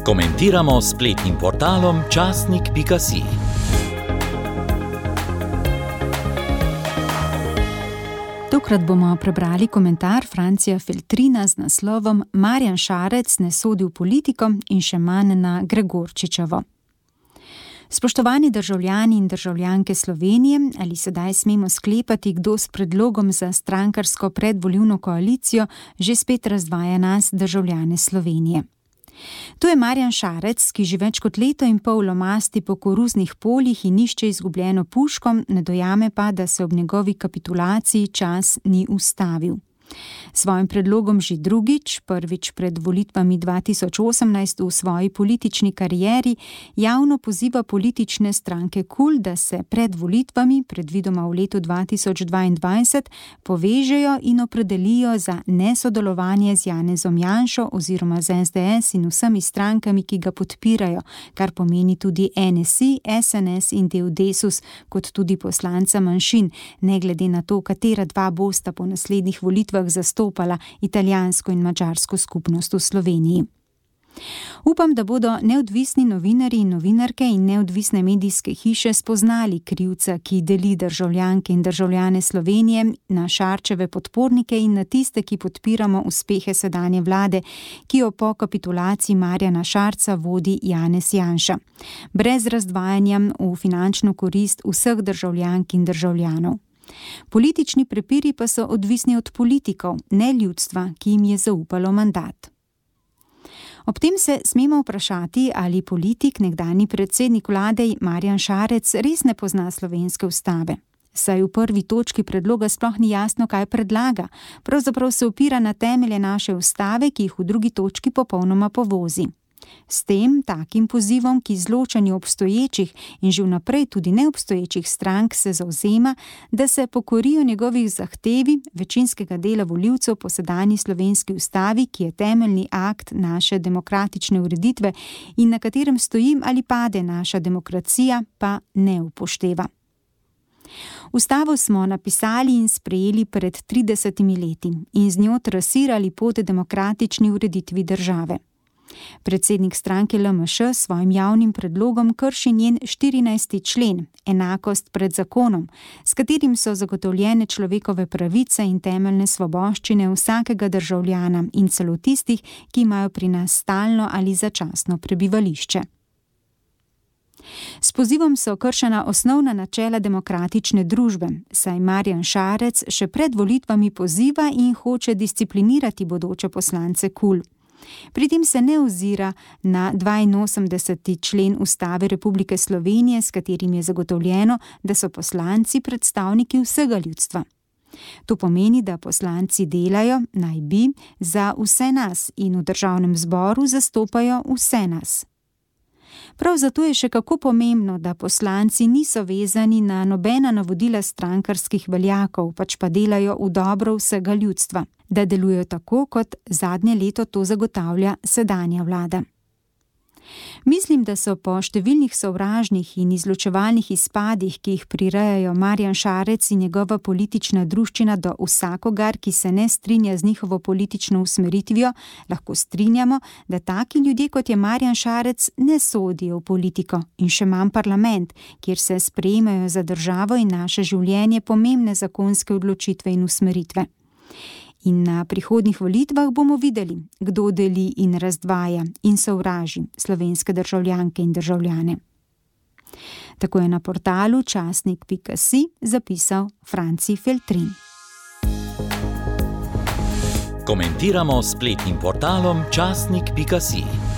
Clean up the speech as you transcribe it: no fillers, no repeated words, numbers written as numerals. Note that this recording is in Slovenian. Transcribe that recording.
Komentiramo s spletnim portalom časnik.si. Tokrat bomo prebrali komentar Francija Feltrina z naslovom Marjan Šarec ne sodi v politiko in še manj na Gregorčičevo. Spoštovani državljani in državljanke Slovenije, ali sedaj smemo sklepati, kdo s predlogom za strankarsko predvolilno koalicijo že spet razdvaja nas, državljane Slovenije? To je Marjan Šarec, ki že več kot leto in pol lomasti po koruznih poljih in išče izgubljeno puško, ne dojame pa, da se ob njegovi kapitulaciji čas ni ustavil. Svojim predlogom že drugič, prvič pred volitvami 2018 v svoji politični karieri, javno poziva politične stranke KUL, da se pred volitvami, predvidoma v letu 2022, povežejo in opredelijo za nesodelovanje z Janezom Janšo oziroma z SDS in vsemi strankami, ki ga podpirajo, kar pomeni tudi NSI, SNS in del Desus, kot tudi poslanca manjšin, ne glede na to, katera dva bosta po naslednjih volitvah zastopala italijansko in madžarsko skupnost v Sloveniji. Upam, da bodo neodvisni novinarji in novinarke in neodvisne medijske hiše spoznali krivca, ki deli državljanke in državljane Slovenije na Šarčeve podpornike in na tiste, ki podpiramo uspehe sedanje vlade, ki jo po kapitulaciji Marjana Šarca vodi Janez Janša, brez razdvajanja v finančno korist vseh državljank in državljanov. Politični prepiri pa so odvisni od politikov, ne ljudstva, ki jim je zaupalo mandat. Ob tem se smemo vprašati, ali politik, nekdanji predsednik vlade Marjan Šarec res ne pozna slovenske ustave. Saj v prvi točki predloga sploh ni jasno, kaj predlaga, pravzaprav se opira na temelje naše ustave, ki jih v drugi točki popolnoma povozi. S tem, takim pozivom, ki izločanju obstoječih in že vnaprej tudi neobstoječih strank se zavzema, da se pokorijo njegovih zahtevi večinskega dela volivcev po sedanji slovenski ustavi, ki je temeljni akt naše demokratične ureditve in na katerem stoji ali pade naša demokracija, pa ne upošteva. Ustavo smo napisali in sprejeli pred 30 leti in z njo trasirali pot demokratični ureditvi države. Predsednik stranke LMŠ s svojim javnim predlogom krši njen 14. člen, enakost pred zakonom, s katerim so zagotovljene človekove pravice in temeljne svoboščine vsakega državljana in celo tistih, ki imajo pri nas stalno ali začasno prebivališče. S pozivom so kršena osnovna načela demokratične družbe, saj Marjan Šarec še pred volitvami poziva in hoče disciplinirati bodoče poslance KUL. Pri tem se ne ozira na 82. člen Ustave Republike Slovenije, s katerim je zagotovljeno, da so poslanci predstavniki vsega ljudstva. To pomeni, da poslanci delajo, naj bi, za vse nas in v državnem zboru zastopajo vse nas. Prav zato je še kako pomembno, da poslanci niso vezani na nobena navodila strankarskih veljakov, pač pa delajo v dobro vsega ljudstva, da delujejo tako, kot zadnje leto to zagotavlja sedanja vlada. Mislim, da so po številnih sovražnih in izločevalnih izpadih, ki jih prirejajo Marjan Šarec in njegova politična druščina do vsakogar, ki se ne strinja z njihovo politično usmeritvijo, lahko strinjamo, da taki ljudje, kot je Marjan Šarec, ne sodijo v politiko in še manj parlament, kjer se sprejemajo za državo in naše življenje pomembne zakonske odločitve in usmeritve. In na prihodnjih volitvah bomo videli, kdo deli in razdvaja in sovraži slovenske državljanke in državljane. Tako je na portalu časnik.si zapisal Franci Feltrin. Komentiramo s spletnim portalom časnik.si.